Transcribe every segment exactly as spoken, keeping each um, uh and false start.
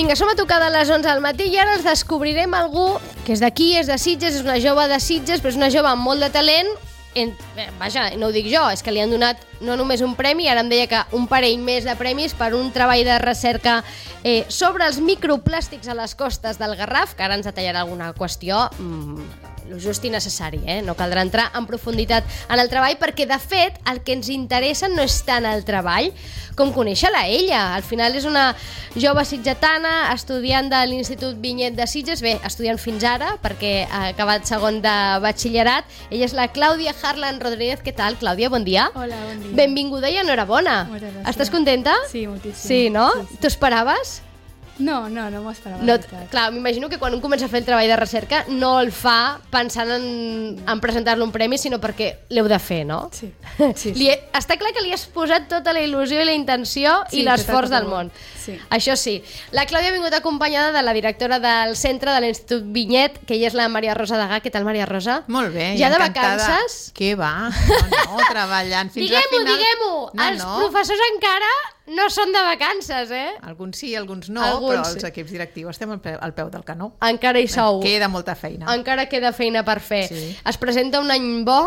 Vinga, som a tocar de les onze al matí i ara ens descobrirem algú que és d'aquí, és de Sitges, és una jove de Sitges, però és una jove amb molt de talent. En, eh, vaja, no ho dic jo, és que li han donat no només un premi, ara em deia que un parell més de premis per un treball de recerca eh, sobre els microplàstics a les costes del Garraf, que ara ens detallarà alguna qüestió mm, lo just i necessari, eh? No caldrà entrar en profunditat en el treball perquè, de fet, el que ens interessa no és tant el treball com conèixer-la ella. Al final és una jove sitgetana, estudiant de l'Institut Vinyet de Sitges, bé, estudiant fins ara, perquè ha acabat segon de batxillerat. Ella és la Clàudia Harlan Rodríguez. Què tal, Clàudia? Bon dia. Hola, bon dia. Benvinguda i enhorabona. Moltes gràcies. Estàs contenta? Sí, moltíssim. Sí, no? Sí, sí. T'ho esperaves? No, no, no m'ho esperava. No, clar, m'imagino que quan un comença a fer el treball de recerca no el fa pensant en, en presentar-lo un premi, sinó perquè l'heu de fer, no? Sí, sí, sí. Li he, està clar que li has posat tota la il·lusió i la intenció Sí, i l'esforç tot, tot, del tot. món. Sí. Això sí. La Clàudia ha vingut acompanyada de la directora del centre de l'Institut Vinyet, que ella és la Maria Rosa Degà. Què tal, Maria Rosa? Molt bé, Ja de encantada. vacances? Què va? No, no, treballant fins al Diguem-ho, final. diguem-ho! No, Els no. professors encara no són de vacances, eh? Alguns sí, alguns no, Alguns però sí. els equips directius estem al peu, al peu del canó. Encara hi sou. Queda molta feina. Encara queda feina per fer. Sí. Es presenta un any bo,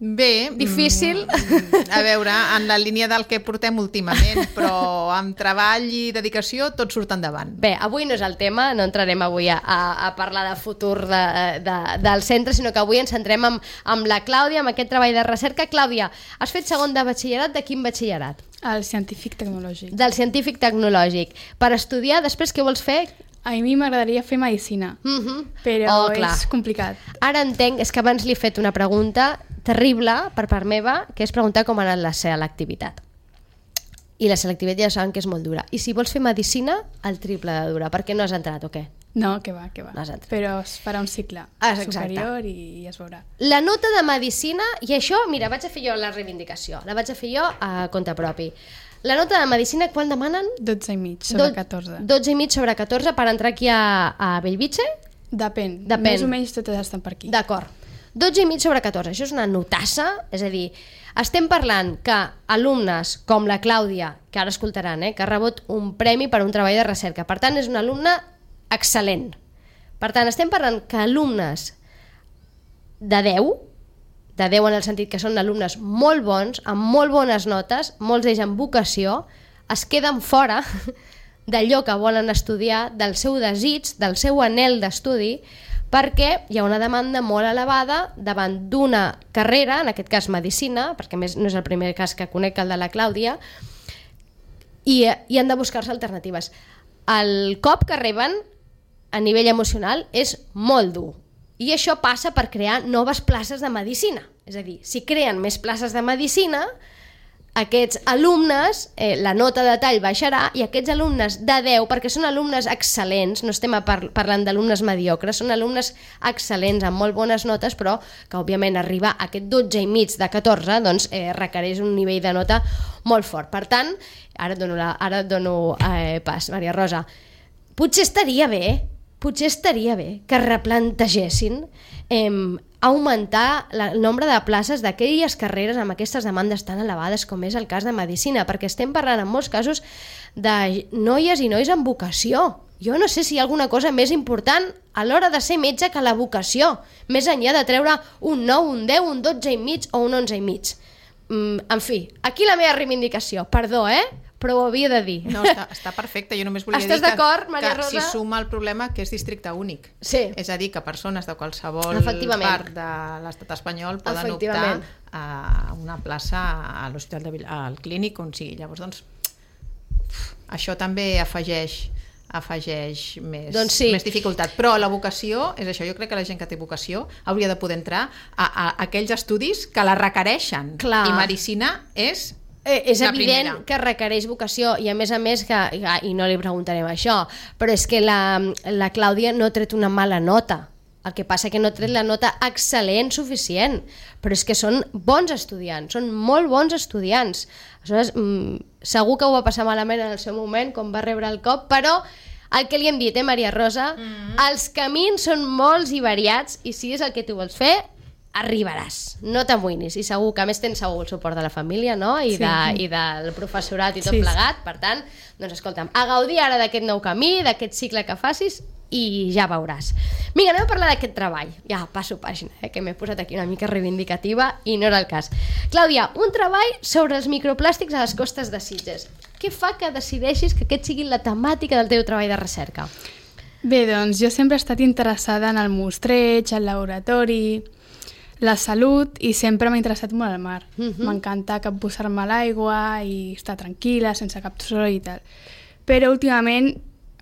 Bé. difícil. mm, A veure, en la línia del que portem últimament, però amb treball i dedicació tot surt endavant. Bé, avui no és el tema, no entrarem avui a, a, a parlar de futur de, de, del centre, sinó que avui ens centrem amb, amb la Clàudia, amb aquest treball de recerca. Clàudia, has fet segon de batxillerat, de quin batxillerat? El científic tecnològic. Del científic tecnològic. Per estudiar, després què vols fer? A mi m'agradaria fer medicina, Mm -hmm. però Oh, clar. és complicat. Ara entenc, és que abans li he fet una pregunta terrible per part meva, que és preguntar com ha anat la selectivitat. I la selectivitat ja saben que és molt dura. I si vols fer medicina, el triple de dura. Per què no has entrat o què? No, que va, que va. No has entrat. Però es farà un cicle Ah, exacte. superior i, i es veurà. La nota de medicina, i això, mira, vaig a fer jo la reivindicació, la vaig a fer jo a compte propi. La nota de medicina, quan demanen? dotze i mig sobre Do- catorze. dotze i mig sobre catorze per entrar aquí a, a Bellvitge? Depèn. Depèn. Més o menys totes estan per aquí. D'acord. dotze i mig sobre catorze, això és una notassa, és a dir, estem parlant que alumnes com la Clàudia, que ara escoltaran, eh, que ha rebut un premi per un treball de recerca, per tant és una alumna excel·lent. Per tant, estem parlant que alumnes de deu, de deu en el sentit que són alumnes molt bons, amb molt bones notes, molts d'ells amb vocació, es queden fora d'allò que volen estudiar, del seu desig, del seu anhel d'estudi, perquè hi ha una demanda molt elevada davant d'una carrera, en aquest cas medicina, perquè a més no és el primer cas que conec el de la Clàudia, i, i han de buscar-se alternatives. El cop que reben a nivell emocional és molt dur, i això passa per crear noves places de medicina. És a dir, si creen més places de medicina, aquests alumnes, eh, la nota de tall baixarà, i aquests alumnes de deu, perquè són alumnes excel·lents, no estem par parlant d'alumnes mediocres, són alumnes excel·lents amb molt bones notes, però que òbviament arribar a aquest dotze i mig de catorze doncs, eh, requereix un nivell de nota molt fort. Per tant, ara et dono, la, ara et dono eh, pas, Maria Rosa, potser estaria bé, potser estaria bé que replantegessin eh, augmentar la, el nombre de places d'aquelles carreres amb aquestes demandes tan elevades com és el cas de medicina, perquè estem parlant en molts casos de noies i nois amb vocació. Jo no sé si hi ha alguna cosa més important a l'hora de ser metge que la vocació, més enllà de treure un nou, un deu, un dotze i mig o un onze i mig. Mm, en fi, aquí la meva reivindicació, perdó, eh? Però ho havia de dir. No, està, està perfecte. Jo només volia Estàs dir que, d'acord, Maria que Rosa? s'hi suma el problema que és districte únic. Sí. És a dir, que persones de qualsevol Efectivament. part de l'estat espanyol poden optar Efectivament. a una plaça a l'Hospital de Vill- al Clínic, on sigui. Llavors, doncs, això també afegeix afegeix més, Doncs sí. més dificultat. Però la vocació, és això, jo crec que la gent que té vocació hauria de poder entrar a, a, a aquells estudis que la requereixen. Clar. I medicina és... Eh, és La evident primera. que requereix vocació, i a més a més que, i no li preguntarem això, però és que la, la Clàudia no ha tret una mala nota, el que passa que no ha tret la nota excel·lent suficient, però és que són bons estudiants, són molt bons estudiants. Aleshores, mm, segur que ho va passar malament en el seu moment quan va rebre el cop, però el que li hem dit, eh, Maria Rosa, mm-hmm. els camins són molts i variats, i si és el que tu vols fer, arribaràs, no t'amoïnis, i segur que a més tens segur el suport de la família, no? I, Sí. de, i del professorat i tot Sí, sí. plegat, per tant, doncs escolta'm, a gaudir ara d'aquest nou camí, d'aquest cicle que facis, i ja veuràs. Vinga, anem a parlar d'aquest treball. Ja, passo pàgina, eh, que m'he posat aquí una mica reivindicativa i no era el cas. Clàudia, un treball sobre els microplàstics a les costes de Sitges. Què fa que decideixis que aquest sigui la temàtica del teu treball de recerca? Bé, doncs jo sempre he estat interessada en el mostreig, el laboratori, la salut, i sempre m'ha interessat molt el mar. Mhm. M'encanta capbussar-me a l'aigua i estar tranquil·la, sense cap soroll i tal. Però últimament,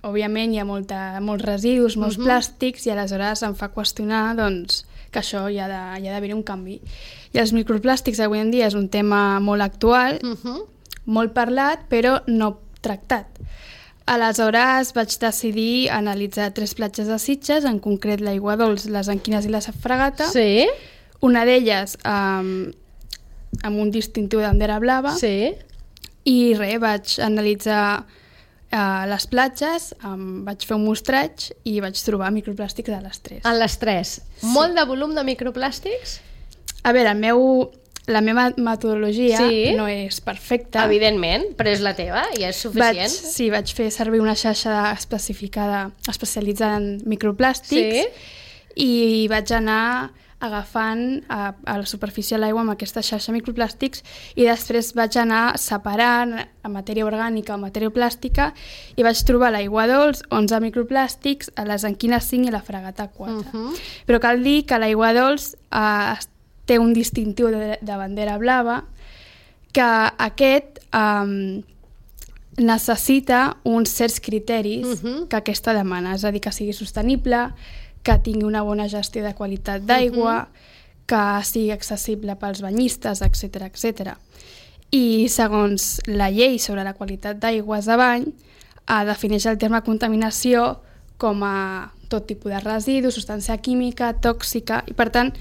òbviament, hi ha molta, molts residus, molts Mhm. plàstics, i aleshores em fa qüestionar doncs, que això hi ha de- hi ha d'haver un canvi. I els microplàstics avui en dia és un tema molt actual, Uh-huh. molt parlat, però no tractat. Aleshores vaig decidir analitzar tres platges de Sitges, en concret l'Aigua Dols, les Anquines i la Fragata. Sí, Una d'elles um, amb un distintiu de bandera blava. sí. I res, vaig analitzar uh, les platges, um, vaig fer un mostreig i vaig trobar microplàstics a les tres. En les tres. Molt de volum de microplàstics? A veure, el meu, la meva metodologia Sí. no és perfecta. Evidentment, però és la teva i és Vaig, suficient. sí, vaig fer servir una xarxa especificada, especialitzada en microplàstics, Sí. i vaig anar agafant a, a la superfície de l'aigua amb aquesta xarxa de microplàstics, i després vaig anar separant a matèria orgànica o matèria plàstica, i vaig trobar a l'Aigua Dols onze microplàstics, a les Anquines cinc i a la Fragata quatre. Uh -huh. Però cal dir que l'Aigua Dols eh, té un distintiu de, de bandera blava, que aquest eh, necessita uns certs criteris Mhm. que aquesta demana, és a dir, que sigui sostenible, que tingui una bona gestió de qualitat d'aigua, que sigui accessible pels banyistes, etcètera, etcètera. I segons la llei sobre la qualitat d'aigües de bany, eh, defineix el terme contaminació com a tot tipus de residu, substància química, tòxica, i per tant,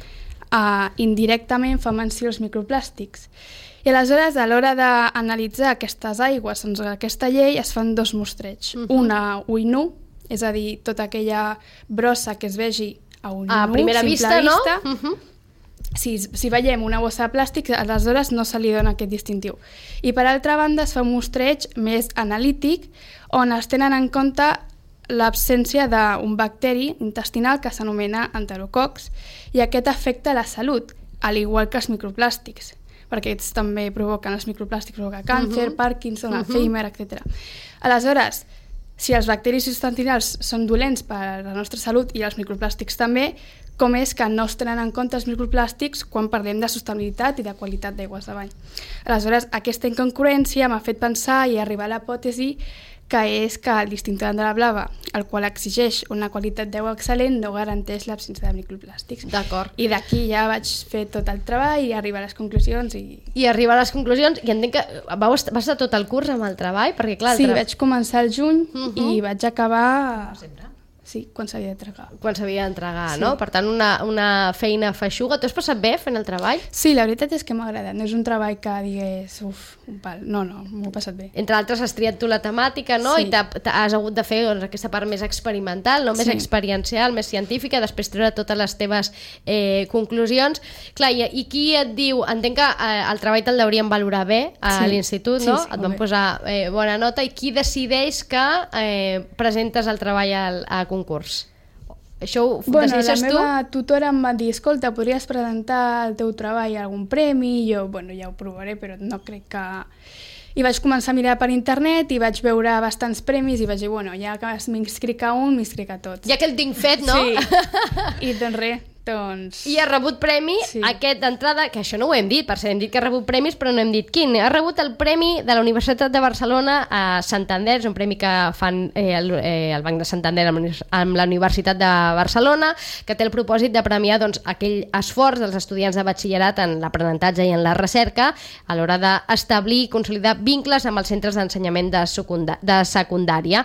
eh, indirectament fa menció als microplàstics. I aleshores, a l'hora d'analitzar aquestes aigües segons aquesta llei, es fan dos mostreigs. Mhm. Una ull nu, és a dir, tota aquella brossa que es vegi a ull A nu, primera simple vista, no? vista. Uh -huh. Si, si veiem una bossa de plàstic, aleshores no se li dona aquest distintiu. I per altra banda es fa un mostreig més analític, on es tenen en compte l'absència d'un bacteri intestinal que s'anomena enterococs, i aquest afecta la salut, al igual que els microplàstics, perquè aquests també provoquen, els microplàstics provoquen càncer, Mhm. Parkinson, Mhm. Alzheimer, etcètera. Aleshores, si els bacteris intestinals són dolents per a la nostra salut i els microplàstics també, com és que no es tenen en compte els microplàstics quan parlem de sostenibilitat i de qualitat d'aigües de bany. Aleshores, aquesta incongruència m'ha fet pensar i arribar a la hipòtesi que és que el distintiu de bandera blava, el qual exigeix una qualitat d'aigua excel·lent, no garanteix l'absència de microplàstics. D'acord. I d'aquí ja vaig fer tot el treball i arribar a les conclusions. I... I arribar a les conclusions, i entenc que vau est- vas estar tot el curs amb el treball, perquè clar... el Sí, tra- vaig començar al juny Mhm. i vaig acabar... Sempre. Sí, quan s'havia d'entregar. quan s'havia d'entregar, Sí. no? Per tant, una, una feina feixuga. Tu has passat bé fent el treball? Sí, la veritat és que m'ha agradat. No és un treball que digués, uf, un pal. No, no, m'ho he passat bé. Entre altres, has triat tu la temàtica, no? Sí. I t'ha- t'ha- has hagut de fer doncs, aquesta part més experimental, no? Més Sí. experiencial, més científica, després treure totes les teves eh, conclusions. Clar, i, i qui et diu... Entenc que eh, el treball te'l deurien valorar bé a Sí. l'institut, Sí, no? sí, Et molt van bé. posar eh, bona nota. I qui decideix que eh, presentes el treball al, a concurs? Això ho Bueno, la decideixes tu? meva tutora em va dir, escolta, podries presentar el teu treball a algun premi? I jo, bueno, ja ho provaré, però no crec que... I vaig començar a mirar per internet i vaig veure bastants premis i vaig dir, bueno, ja que m'inscric a un, m'inscric a tots. Ja que el tinc fet, no? Sí. I doncs res, doncs... I ha rebut premi, Sí. aquest d'entrada, que això no ho hem dit, per cert, hem dit que ha rebut premis, però no hem dit quin. Ha rebut el premi de la Universitat de Barcelona a Santander, és un premi que fan eh, el, eh, el Banc de Santander amb, uni- amb la Universitat de Barcelona, que té el propòsit de premiar doncs, aquell esforç dels estudiants de batxillerat en l'aprenentatge i en la recerca a l'hora d'establir i consolidar vincles amb els centres d'ensenyament de, secunda de secundària.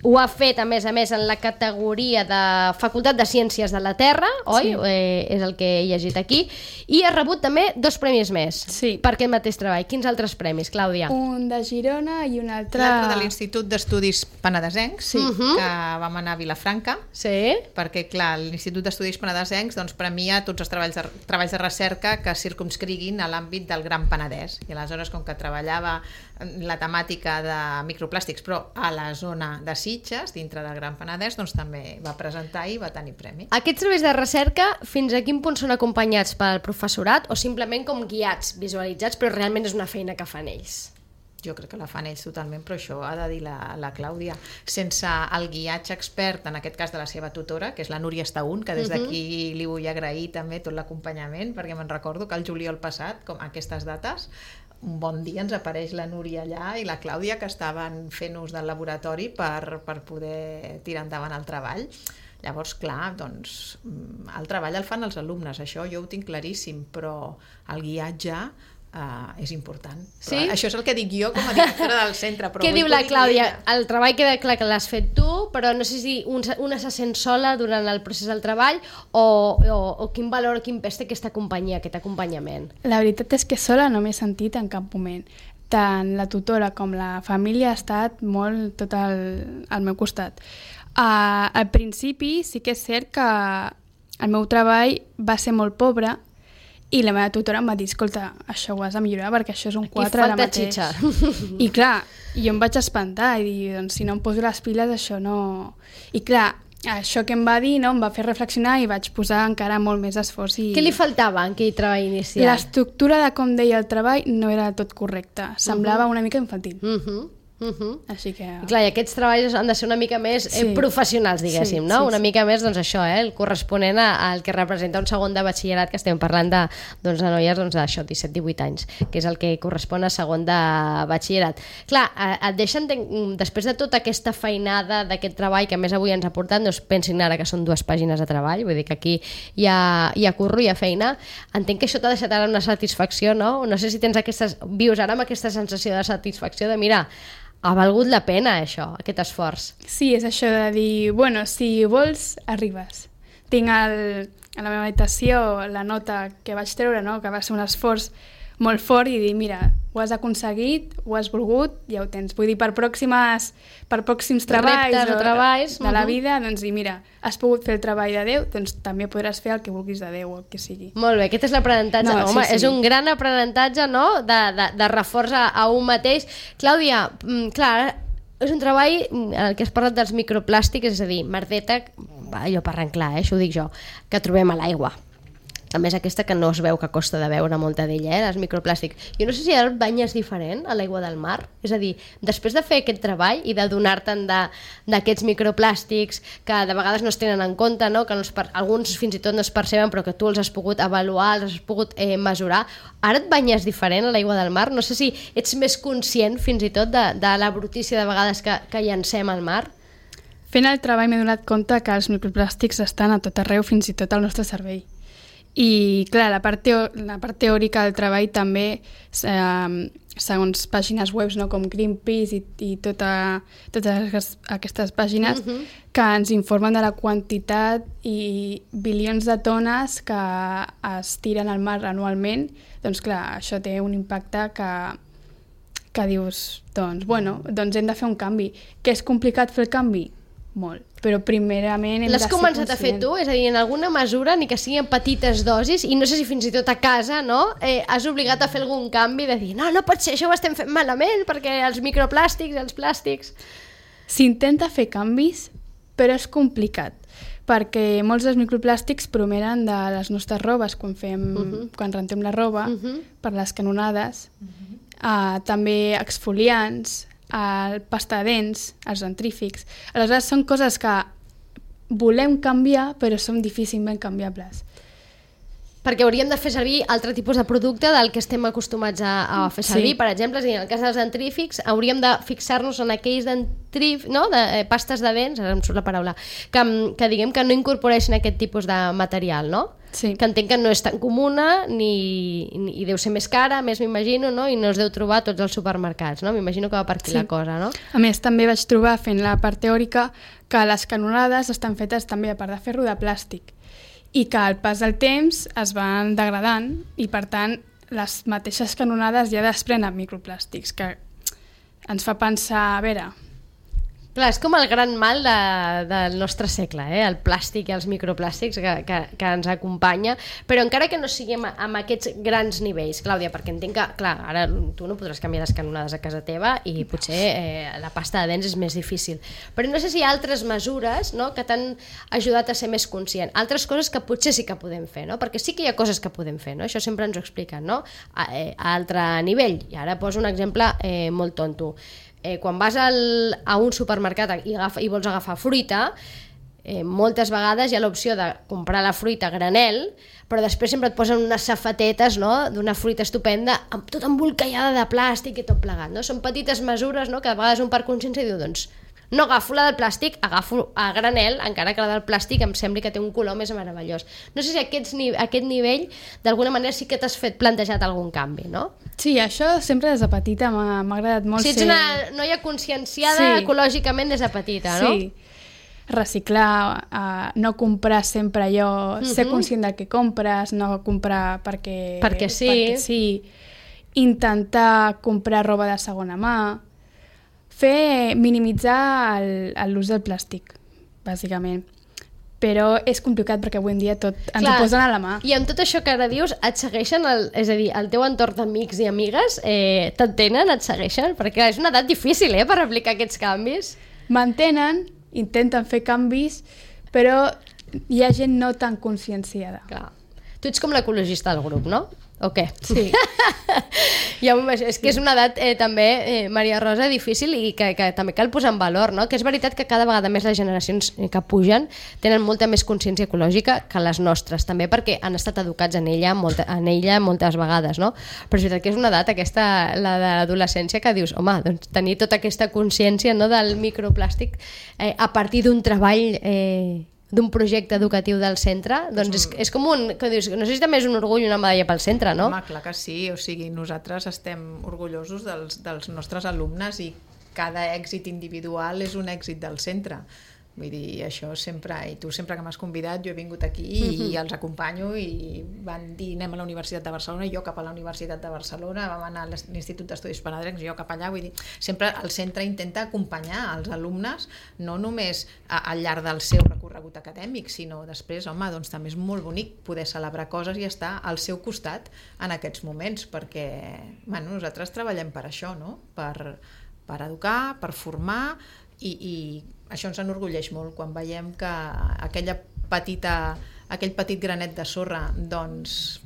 Ho ha fet, a més a més, en la categoria de Facultat de Ciències de la Terra, oi? Sí. eh, és el que he llegit aquí, i has rebut també dos premis més Sí. per aquest mateix treball. Quins altres premis, Clàudia? Un de Girona i un altre... L'altre de l'Institut d'Estudis Penedesencs, Sí. Uh-huh. que vam anar a Vilafranca, Sí? perquè, clar, l'Institut d'Estudis Penedesencs doncs, premia tots els treballs de, treballs de recerca que circumscriguin a l'àmbit del Gran Penedès. I aleshores, com que treballava la temàtica de microplàstics, però a la zona de Sitges, dintre del Gran Penedès, doncs també va presentar i va tenir premi. Aquests treballs de recerca, fins a quin punt són acompanyats pel professorat o simplement com guiats, visualitzats, però realment és una feina que fan ells? Jo crec que la fan ells totalment, però això ha de dir la, la Clàudia. Sense el guiatge expert, en aquest cas de la seva tutora, que és la Núria Estaún, que des d'aquí li vull agrair també tot l'acompanyament, perquè me'n recordo que el juliol passat, com a aquestes dates, un bon dia ens apareix la Núria allà i la Clàudia, que estaven fent ús del laboratori per, per poder tirar endavant el treball. Llavors, clar, doncs, el treball el fan els alumnes, això jo ho tinc claríssim, però el guiatge Uh, és important. Sí? Però això és el que dic jo com a directora del centre. Però Què vull diu la que ho digui Clàudia? ella. El treball queda clar que l'has fet tu, però no sé si un, una se sent sola durant el procés del treball o, o, o quin valor, quin pes té aquesta companyia, aquest acompanyament. La veritat és que sola no m'he sentit en cap moment. Tant la tutora com la família ha estat molt tot al, al meu costat. Uh, al principi sí que és cert que el meu treball va ser molt pobre i la meva tutora em va dir, escolta, això ho has de millorar perquè això és un quatre ara falta mateix. xitxa. I clar, jo em vaig espantar i dir, doncs si no em poso les piles això no... I clar, això que em va dir no, em va fer reflexionar i vaig posar encara molt més esforç. I... Què li faltava en aquell treball inicial? L'estructura de com deia el treball no era tot correcte. Semblava uh-huh. una mica infantil. Uh -huh. Uh -huh. Així que... I clar, i aquests treballs han de ser una mica més eh, Sí. professionals, diguéssim, Sí, no? sí, Una sí. mica més, doncs això, eh, el corresponent a- al que representa un segon de batxillerat, que estem parlant de, doncs, de noies doncs, d'això, disset divuit anys, que és el que correspon a segon de batxillerat. Clar, eh, et deixen, de, després de tota aquesta feinada d'aquest treball, que a més avui ens ha portat, doncs pensin ara que són dues pàgines de treball, vull dir que aquí hi ha, hi ha curro, hi ha feina, entenc que això t'ha deixat ara una satisfacció, no? No sé si tens aquestes, vius ara amb aquesta sensació de satisfacció de, mira, ha valgut la pena això, aquest esforç. Sí, és això de dir, bueno, si vols, arribes. Tinc el, a la meva habitació la nota que vaig treure, no? Que va ser un esforç molt fort i dir, mira, ho has aconseguit, ho has volgut, ja ho tens. Vull dir, per pròximes, per pròxims treballs, Reptes o treballs, de la uh-huh. vida, doncs dir, mira, has pogut fer el treball de Déu, doncs també podràs fer el que vulguis de Déu o el que sigui. Molt bé, aquest és l'aprenentatge. No, Home, sí, sí. és un gran aprenentatge, no?, de, de, de reforç a, a un mateix. Clàudia, mm, clar, és un treball en el que has parlat dels microplàstics, és a dir, merdeta, va, allò parlant clar, eh, això ho dic jo, que trobem a l'aigua. A més aquesta que no es veu, que costa de veure molta d'ella, eh, els microplàstics. Jo no sé si el bany és diferent a l'aigua del mar, és a dir, després de fer aquest treball i de donar-te'n d'aquests microplàstics que de vegades no es tenen en compte, no? Que no es per... alguns fins i tot no es perceben però que tu els has pogut avaluar, els has pogut eh, mesurar, ara et banyes diferent a l'aigua del mar? No sé si ets més conscient fins i tot de, de la brutícia de vegades que, que llancem al mar? Fent el treball m'he donat compte que els microplàstics estan a tot arreu, fins i tot al nostre cervell. I, clar, la part, teo la part teòrica del treball també, eh, segons pàgines web, no, com Greenpeace i, i tota, totes aquestes pàgines, uh -huh. que ens informen de la quantitat i bilions de tones que es tiren al mar anualment, doncs, clar, això té un impacte que, que dius, doncs, bueno, doncs hem de fer un canvi. Que és complicat fer el canvi? Molt. Però primerament hem de L'has ser començat a fer conscients. tu? És a dir, en alguna mesura, ni que sigui en petites dosis, i no sé si fins i tot a casa, no? Eh, has obligat a fer algun canvi de dir, no, no pot ser, això ho estem fent malament, perquè els microplàstics, els plàstics... S'intenta fer canvis, però és complicat, perquè molts dels microplàstics promenen de les nostres robes, quan, fem, uh -huh. quan rentem la roba, uh -huh. per les canonades, uh -huh. uh, també exfoliants, el pasta de dents, els dentrífics. Aleshores, són coses que volem canviar, però són difícilment canviables. Perquè hauríem de fer servir altre tipus de producte del que estem acostumats a, a fer servir. Sí. Per exemple, és a dir, en el cas dels dentrífics, hauríem de fixar-nos en aquells dentrífics, no? de, eh, pastes de dents, ara em surt la paraula, que, que diguem que no incorporeixen aquest tipus de material, no? Sí. Que entenc que no és tan comuna ni, ni, i deu ser més cara, més m'imagino, no? I no es deu trobar a tots els supermercats, no? M'imagino que va per aquí Sí. la cosa, no? A més, també vaig trobar, fent la part teòrica, que les canonades estan fetes també a part de ferro de plàstic. i que al pas del temps es van degradant i, per tant, les mateixes canonades ja desprenen microplàstics, que ens fa pensar, a veure... Clar, és com el gran mal de, del nostre segle, eh? El plàstic i els microplàstics que, que, que ens acompanya, però encara que no siguem amb aquests grans nivells, Clàudia, perquè entenc que, clar, ara tu no podràs canviar les canonades a casa teva i potser eh, la pasta de dents és més difícil, però no sé si hi ha altres mesures, no?, que t'han ajudat a ser més conscient, altres coses que potser sí que podem fer, no?, perquè sí que hi ha coses que podem fer, no?, això sempre ens ho expliquen, no?, a, eh, a altre nivell, i ara poso un exemple eh, molt tonto. Eh, quan vas al, a un supermercat i, agafa, i vols agafar fruita, eh, moltes vegades hi ha l'opció de comprar la fruita a granel, però després sempre et posen unes safatetes, no?, d'una fruita estupenda, amb, tot embolcallada de plàstic i tot plegat, no? Són petites mesures, no?, que a vegades un per consciència diu, doncs, no agafo la del plàstic, agafo a granel, encara que la del plàstic em sembli que té un color més meravellós. No sé si aquests, aquest nivell, d'alguna manera, sí que t'has fet plantejat algun canvi, no? Sí, això sempre des de petita m'ha agradat molt. Si ets ser... una noia conscienciada sí. ecològicament des de petita, no? Sí, reciclar, uh, no comprar sempre allò, uh-huh. ser conscient del que compres, no comprar perquè... Perquè sí. Perquè sí. Intentar comprar roba de segona mà, fer, minimitzar l'ús del plàstic, bàsicament. Però és complicat perquè avui en dia tot ens Clar, ho posen a la mà. I amb tot això que ara dius, et segueixen, el, és a dir, el teu entorn d'amics i amigues, eh, t'entenen, et segueixen? Perquè és una edat difícil, eh, per aplicar aquests canvis. M'entenen, intenten fer canvis, però hi ha gent no tan conscienciada. Clar. Tu ets com l'ecologista del grup, no? O què? Sí. Ja, és que és una edat eh, també, eh, Maria Rosa, difícil i que, que també cal posar en valor, no? Que és veritat que cada vegada més les generacions que pugen tenen molta més consciència ecològica que les nostres, també perquè han estat educats en ella, molta, en ella moltes vegades, no? Però és veritat que és una edat, aquesta, la de l'adolescència, que dius, home, doncs tenir tota aquesta consciència, no, del microplàstic eh, a partir d'un treball... Eh, d'un projecte educatiu del centre, doncs és, és com un, que dius, no sé si també és un orgull i una medalla pel centre, no? Home, clar que sí, o sigui, nosaltres estem orgullosos dels, dels nostres alumnes i cada èxit individual és un èxit del centre. Vull dir, això sempre, i tu sempre que m'has convidat, jo he vingut aquí i uh-huh. els acompanyo i van dir anem a la Universitat de Barcelona, jo cap a la Universitat de Barcelona, vam anar a l'Institut d'Estudis Penedrencs, jo cap allà, vull dir, sempre el centre intenta acompanyar els alumnes, no només a, al llarg del seu recorregut acadèmic, sinó després, home, doncs també és molt bonic poder celebrar coses i estar al seu costat en aquests moments, perquè, bueno, nosaltres treballem per això, no? Per, per educar, per formar, i, i això ens enorgulleix molt quan veiem que aquella petita, aquell petit granet de sorra, doncs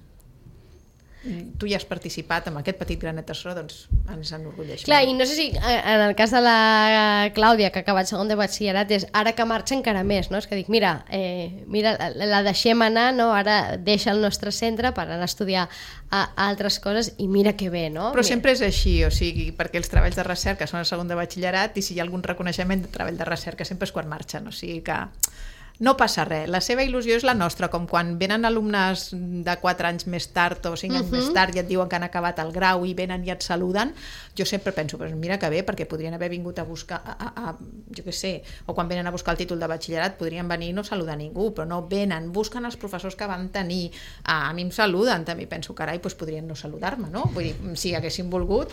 tu hi has participat amb aquest petit granet de sorra, doncs ens enorgulleix Clar, molt. I no sé si en el cas de la Clàudia, que ha acabat segon de batxillerat, és ara que marxa encara més, no? És que dic, mira, eh, mira la deixem anar, no? Ara deixa el nostre centre per anar a estudiar a, a altres coses i mira que bé, no? Però mira. Sempre és així, o sigui, perquè els treballs de recerca són el segon de batxillerat i si hi ha algun reconeixement de treball de recerca sempre és quan marxen, o sigui que no passa res, la seva il·lusió és la nostra, com quan venen alumnes de quatre anys més tard o cinc anys uh-huh. més tard i et diuen que han acabat el grau i venen i et saluden, jo sempre penso, pues mira que bé, perquè podrien haver vingut a buscar, a, a, a, jo què sé, o quan venen a buscar el títol de batxillerat podrien venir i no saludar ningú, però no venen, busquen els professors que van tenir, a, a mi em saluden, també penso, carai, pues podrien no saludar-me, no? Vull dir, si haguessin volgut.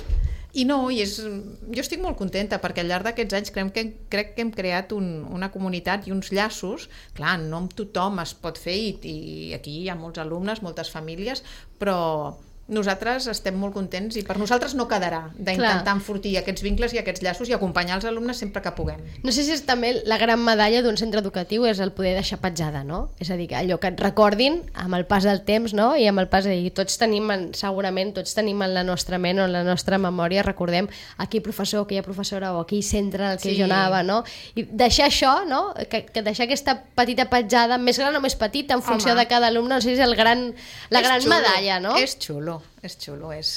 I no, i és, jo estic molt contenta perquè al llarg d'aquests anys crec que, crec que hem creat un, una comunitat i uns llaços, clar, no amb tothom es pot fer i, i aquí hi ha molts alumnes, moltes famílies, però nosaltres estem molt contents i per nosaltres no quedarà d'intentar enfortir aquests vincles i aquests llaços i acompanyar els alumnes sempre que puguem. No sé si és també la gran medalla d'un centre educatiu és el poder deixar petjada, no? És a dir, que allò que et recordin amb el pas del temps, no? I amb el pas de dir, tots tenim, segurament, tots tenim en la nostra ment o en la nostra memòria, recordem aquell professor, aquella professora o aquell centre en el que sí. jo anava, no? I deixar això, no? Que, que deixar aquesta petita petjada, més gran o més petita, en funció Home. de cada alumne, no sé si és el gran, la és gran xulo. medalla, no? És xulo. És xulo, és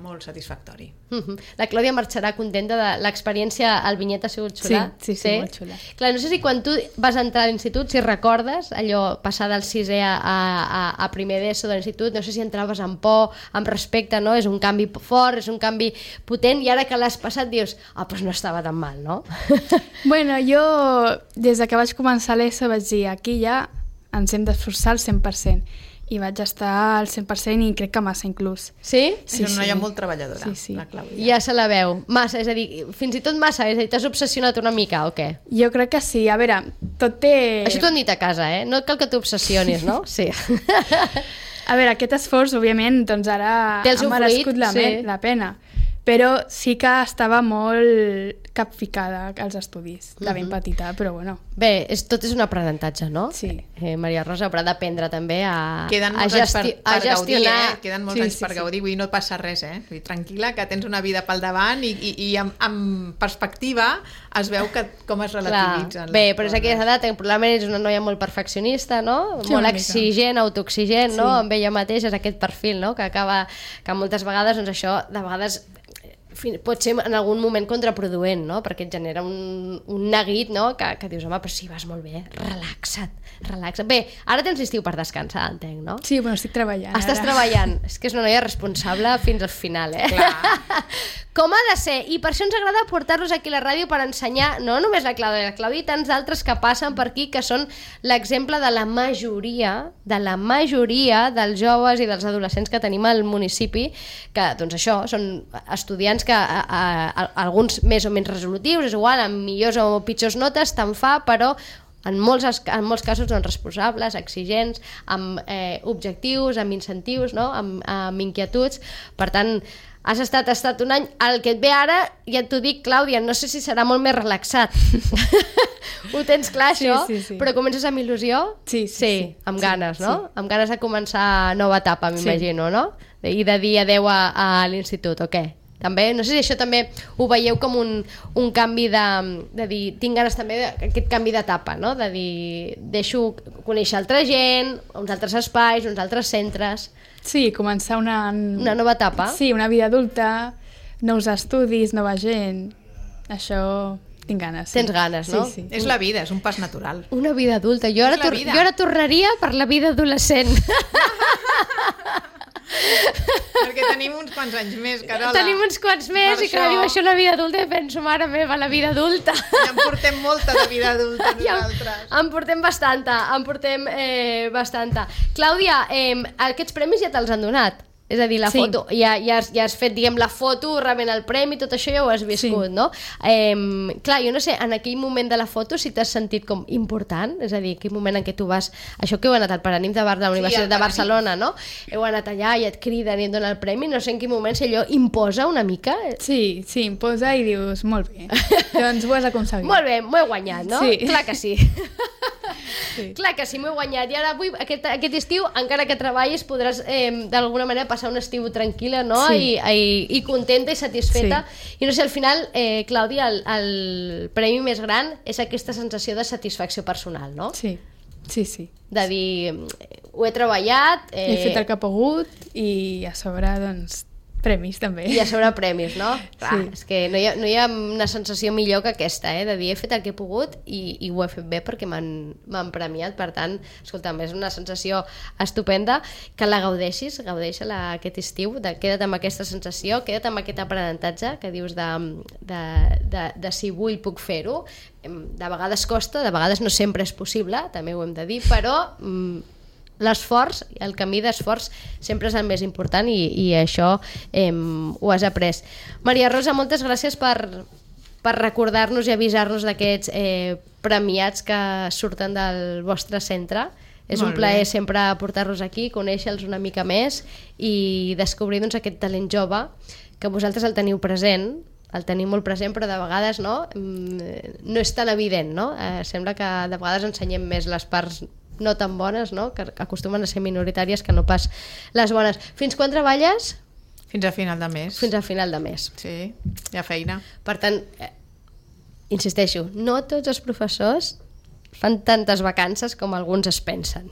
molt satisfactori. Uh-huh. La Clàudia marxarà contenta de l'experiència al Vinyet, ha sigut xula? Sí, sí, sí, sí, molt xula. Clar, no sé si quan tu vas entrar a l'institut, si recordes allò, passar del sisè a, a, a primer d'ESO de l'institut, no sé si entraves amb por, amb respecte, no? És un canvi fort, és un canvi potent, i ara que l'has passat dius, ah, oh, doncs no estava tan mal, no? Bueno, jo, des de que vaig començar l'ESO vaig dir, aquí ja ens hem d'esforçar al cent per cent. I vaig estar al cent per cent i crec que massa inclús. Sí? Sí, és una noia sí. molt treballadora, sí, sí. la Clàudia. Ja se la veu. Massa, és a dir, fins i tot massa, és a dir, t'has obsessionat una mica o què? Jo crec que sí. A veure, tot té... Això t'ho han dit a casa, eh? No cal que t'obsessionis, no? Sí. A veure, aquest esforç, òbviament, doncs ara Té el seu ha merescut fruit, la, sí. la pena. Però sí que estava molt capficada als estudis, de ben Mhm. petita, però bueno. Bé, és, tot és un aprenentatge, no? Sí. Eh, Maria Rosa haurà d'aprendre també a, Queden a, molts anys per, gesti per a gaudir, gestionar... eh? Queden molts Sí, anys sí, per sí. gaudir, vull dir, no et passa res, eh? Vull dir, tranquil·la, que tens una vida pel davant i, i, i amb, amb perspectiva es veu que com es relativitzen. Clar. Bé, les però és coses. aquesta edat, probablement és una noia molt perfeccionista, no? Sí, molt una mica. exigent, autoexigent, no? Sí. Amb ella mateixa, és aquest perfil, no? Que acaba, que moltes vegades, doncs això, de vegades fin- pot ser en algun moment contraproduent, no? Perquè et genera un, un neguit, no? Que, que dius, home, però sí, vas molt bé, relaxa't, relaxa't. Bé, ara tens l'estiu per descansar, entenc, no? Sí, bueno, estic treballant. Estàs ara. treballant. És que és una noia responsable fins al final, eh? Clar. Com ha de ser. I per això ens agrada portar-los aquí a la ràdio per ensenyar, no només la Clàudia, la Clàudia i tants d'altres que passen per aquí, que són l'exemple de la majoria, de la majoria dels joves i dels adolescents que tenim al municipi, que, doncs això, són estudiants que a, a, a, alguns més o menys resolutius, és igual, amb millors o pitjors notes, te'n fa, però en molts, en molts casos doncs, responsables, exigents, amb eh, objectius, amb incentius, no? amb, amb inquietuds. Per tant, has estat, has estat un any... El que et ve ara, ja t'ho dic, Clàudia, no sé si serà molt més relaxat. Ho tens clar, Sí, això? sí, sí. Però comences amb il·lusió? Sí, sí, sí. sí. Amb Sí, ganes, no? sí. Amb ganes de començar nova etapa, m'imagino, no? I de dir adeu a, a l'institut, o què? També, no sé si això també ho veieu com un, un canvi de, de dir, tinc ganes també d'aquest canvi d'etapa, no? De dir, deixo conèixer altra gent, uns altres espais, uns altres centres, Sí, començar una... una nova etapa. Sí, una vida adulta, nous estudis, nova gent... Això tinc ganes. Sí. Tens ganes, no? Sí, sí. És la vida, és un pas natural. Una vida adulta. Jo ara, És la tor vida. jo ara tornaria per la vida adolescent. Perquè tenim uns quants anys més, Carola. Tenim uns quants més Per i clar, això- diu això la vida adulta i penso, mare meva, la vida adulta. Ja en portem molta de vida adulta Ja, nosaltres. en portem bastanta, en portem eh, bastanta. Clàudia, eh, aquests premis ja te'ls han donat? És a dir, la Sí. foto, ja, ja, has, ja has fet, diguem, la foto, rebent el premi, tot això ja ho has viscut, Sí. no? Eh, clar, jo no sé, en aquell moment de la foto si t'has sentit com important, és a dir, aquell moment en què tu vas, això que heu anat al Paranim de, Bar de la Universitat al de Paranim. Barcelona, no? Heu anat allà i et criden i et donen el premi, no sé en quin moment, si allò imposa una mica. Sí, sí, em posa i dius, molt bé, doncs ho has aconseguit. Molt bé, m'ho he guanyat, no? Sí. Clar que sí. Sí. Clar que sí, m'ho he guanyat. I ara avui, aquest, aquest estiu, encara que treballis, podràs eh, d'alguna manera passar un estiu tranquil·la, no? Sí. I, i, I contenta i satisfeta. Sí. I no sé, al final, eh, Clàudia, el, el premi més gran és aquesta sensació de satisfacció personal, no? Sí, sí, sí. De dir, ho he treballat... Eh, He fet el que he pogut i a sobre, doncs, premis també. I a sobre premis, no? Clar, Sí. és que no hi, ha, no hi ha una sensació millor que aquesta, eh? De dir, he fet el que he pogut i, i ho he fet bé perquè m'han m'han premiat. Per tant, escolta'm, és una sensació estupenda, que la gaudeixis, gaudeix-la aquest estiu, de, queda't amb aquesta sensació, queda't amb aquest aprenentatge que dius de, de, de, de si vull puc fer-ho. Em, De vegades costa, de vegades no sempre és possible, també ho hem de dir, però... Mm, l'esforç, el camí d'esforç sempre és el més important i, i això eh, ho has après. Maria Rosa, moltes gràcies per, per recordar-nos i avisar-nos d'aquests eh, premiats que surten del vostre centre. És Molt un plaer bé. sempre portar-los aquí, conèixer-los una mica més i descobrir doncs, aquest talent jove que vosaltres el teniu present, el tenim molt present, però de vegades no, Mm, no és tan evident, no? Eh, sembla que de vegades ensenyem més les parts no tan bones, no? Que acostumen a ser minoritàries que no pas les bones. Fins quan treballes? Fins a final de mes. Fins al final de mes. Sí, hi ha feina. Per tant, eh, insisteixo, no tots els professors fan tantes vacances com alguns es pensen.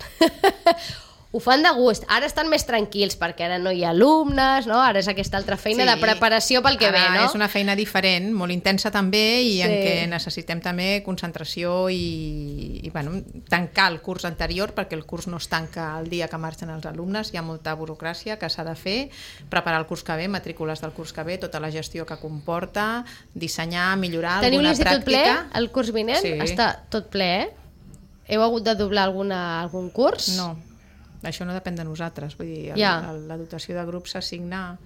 Ho fan de gust. Ara estan més tranquils perquè ara no hi ha alumnes, no? Ara és aquesta altra feina Sí. de preparació pel que Ara ve, no? és una feina diferent, molt intensa també i en Sí. què necessitem també concentració i, i bueno, tancar el curs anterior, perquè el curs no es tanca el dia que marxen els alumnes, hi ha molta burocràcia que s'ha de fer, preparar el curs que ve, matrícules del curs que ve, tota la gestió que comporta, dissenyar, millorar Teniu alguna l'institut ple? pràctica. El curs vinent? Sí. Està tot ple, eh? heu hagut de doblar alguna, algun curs? No, això no depèn de nosaltres. Vull dir, el, Ja. el, la dotació de grup s'assigna...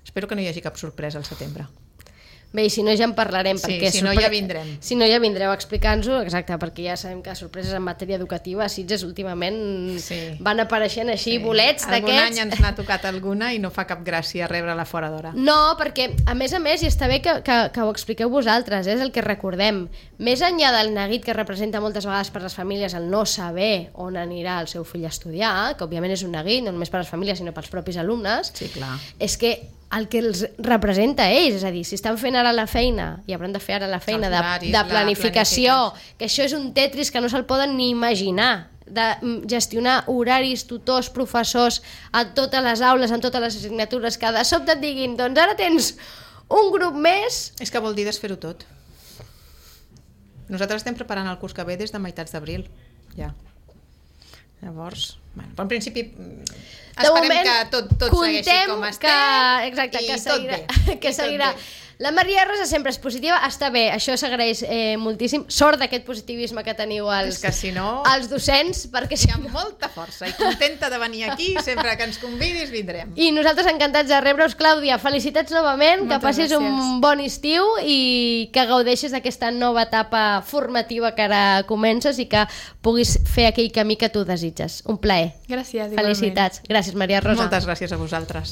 Espero que no hi hagi cap sorpresa al setembre. Bé, i si no ja en parlarem. Sí, perquè si no sorpre- ja vindrem. Si no ja vindreu a explicar-nos-ho, exacte, perquè ja sabem que sorpreses en matèria educativa a Sitges últimament Sí. van apareixent així Sí. bolets Algun d'aquests. any ens n'ha tocat alguna i no fa cap gràcia rebre-la fora d'hora. No, perquè a més a més, i està bé que, que, que ho expliqueu vosaltres, eh, és el que recordem. Més enllà del neguit que representa moltes vegades per les famílies el no saber on anirà el seu fill a estudiar, que òbviament és un neguit, no només per les famílies sinó pels propis alumnes, Sí, clar. és que el que els representa a ells, és a dir, si estan fent ara la feina i hauran de fer ara la feina Els de, horaris, de la planificació, planificació. que això és un tetris que no se'l poden ni imaginar, de mm, gestionar horaris, tutors, professors a totes les aules, en totes les assignatures, que de sobte et diguin, doncs ara tens un grup més. És que vol dir desfer-ho tot. Nosaltres estem preparant el curs que ve des de meitats d'abril, ja. Llavors, bueno, però en principi mm, De esperem moment, que tot, tot segueixi contem com que, estem exacte, i que tot seguirà, bé. que I tot seguirà. bé. La Maria Rosa sempre és positiva, està bé, això s'agraeix eh, moltíssim. Sort d'aquest positivisme que teniu els, És que si no, els docents, perquè hi si ha no... molta força i contenta de venir aquí, sempre que ens convidis vindrem. I nosaltres encantats de rebre-us, Clàudia. Felicitats novament, Moltes que passis gràcies. un bon estiu i que gaudeixis d'aquesta nova etapa formativa que ara comences i que puguis fer aquell camí que tu desitges. Un plaer. Gràcies, igualment. Felicitats. Gràcies, Maria Rosa. Moltes gràcies a vosaltres.